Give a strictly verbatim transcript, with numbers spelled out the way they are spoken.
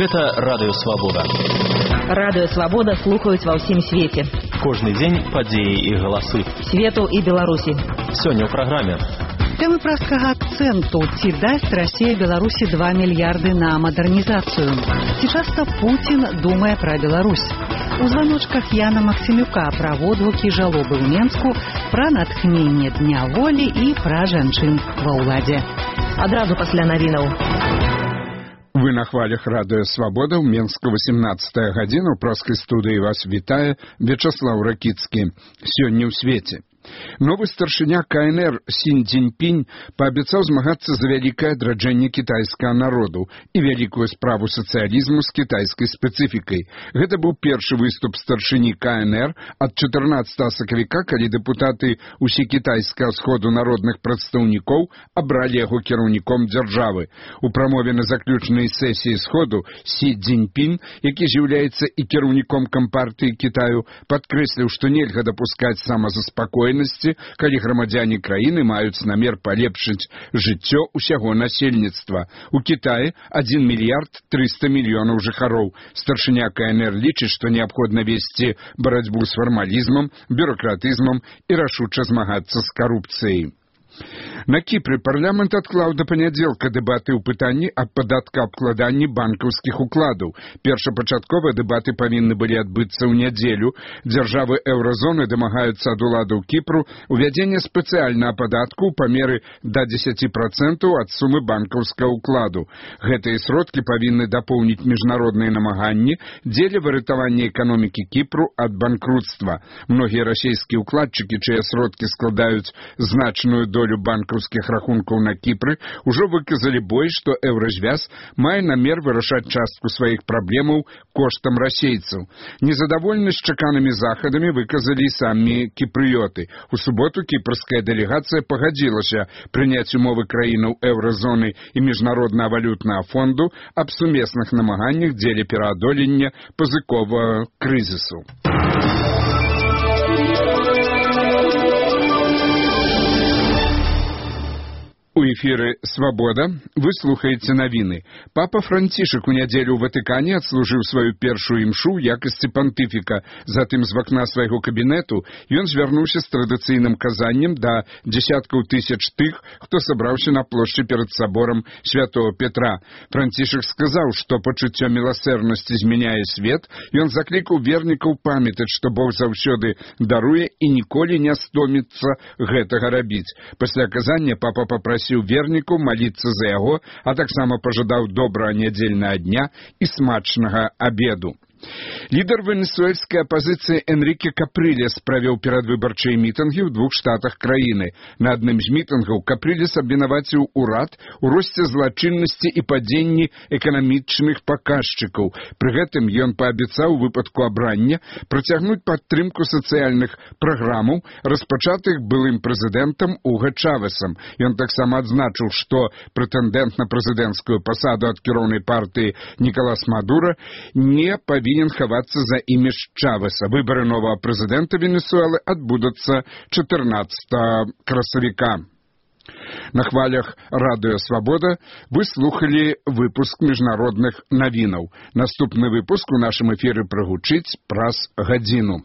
Гэта Радыё Свабода. Радыё Свабода слухаюць ва ўсім свеце. Кожны дзень падзеі і галасы. Свету і Беларусі. Сёння ў праграме. Тэмы праскага акцэнту. Ці дасць Расія Беларусі два мільярды на мадэрнізацыю? Ці часта Пуцін думае пра Беларусь? У званочках Яна Максімюка пра водгукі жалобы ў Менску, пра натхненне Дня волі і пра жанчын ва ўладзе. Адразу пасля навінаў. Вы на хвалях Радыё Свабода, ў Менску восемнадцатая гадзіна, у праскай студыі вас вітае Вячаслаў Ракіцкі. Сёння ў свеце. Новы старшыня ка эн эр Сінь Цзіньпінь паабяцаў змагацца за вялікае адраджэнне кітайскага народу і вялікую справу сацыялізму з кітайскай спецыфікай. Гэта быў першы выступ старшыні ка эн эр ад чатырнаццатага сакавіка, калі дэпутаты усекітайскага сходу народных прадстаўнікоў абралі яго кіраўніком дзяржавы. У прамове на заключнай сесіі сходу Сі Цзіньпінь, які з'яўляецца і кіраўніком кампартыі Кітаю, падкрэсліў, што нельга дапускаць самазаспакоенасці, калі грамадзяне краіны маюць намер палепшыць жыццё ўсяго насельніцтва. У Кітаі адзін мільярд трыста мільёнаў жыхароў. Старшыня ка эн эр лічыць, што неабходна весці барацьбу з фармалізмам, бюракратызмам і рашуча змагацца з карупцыяй. На Кіпры парламент адклаў да панядзелка дэбаты ў пытанні аб падаткаабкладанні банкаўскіх укладаў. Першапачаткова дэбаты павінны былі адбыцца ў нядзелю. Дзяржавы еўразоны дамагаюцца ад уладаў Кіпру увядзення спецыяльнага падатку ў памеры да дзесяці працэнтаў ад сумы банкаўскага ўкладу. Гэтыя сродкі павінны дапоўніць міжнародныя намаганні дзеля выратавання эканомікі Кіпру ад банкрутства. Многія расійскія ўкладчыкі, чыя сродкі складаюць значную долю банкаўскіх рахункаў на Кіпры, ужо выказалі бой, што еўразвяз мае намер вырашаць частку сваіх праблемаў коштам расейцаў. Незадаволенасць чаканымі захадамі выказалі самі кіпрыёты. У суботу кіпрская дэлегацыя пагадзілася прыняць умовы краінаў еўразоны і міжнароднага валютнага фонду аб сумесных намаганнях дзеля пераадолення пазыковага крызісу. У эфіры «Свабода» вы слухаеце навіны. Папа Францішак у нядзелю ў Ватыкане адслужыў сваю першую імшу ў якасці пантыфіка. Затым з вакна свайго кабінету ён звярнуўся з традыцыйным казаннем да дзесяткаў тысяч тых, хто сабраўся на плошчы перад саборам святого Петра. Францішак сказаў, што пачуццё міласэрнасці змяняе свет, ён заклікаў вернікаў памятаць, што Бог заўсёды даруе і ніколі не стоміцца гэтага рабіць. Пасля казання папа папрасіў вернікаў маліцца за яго, а таксама пажадаў добрага нядзельнага дня і смачнага абеду. Лідар венесуэльскай апазіцыі Энріке Капрылес правёў перадвыбарчыя мітынгі ў двух штатах краіны. На адным з мітынгаў Капрылес абвінаваціў урад у росце злачыннасці і падзенні эканамічных паказчыкаў. Пры гэтым ён паабяцаў у выпадку абрання працягнуць падтрымку сацыяльных праграмаў, распачатых былым прэзідэнтам Уга Чавесам. Ён таксама адзначыў, што прэтэндэнт на прэзідэнцкую пасаду ад кіроўнай партыі Нікалас Мадура не павінен хавацца за імідж Чавеса. Выбары новага прэзідэнта Венесуэлы адбудуцца чатырнаццатага красавіка. На хвалях Радыё Свабода вы слухалі выпуск міжнародных навінаў. Наступны выпуск у нашым эфіры прагучыць праз гадзіну.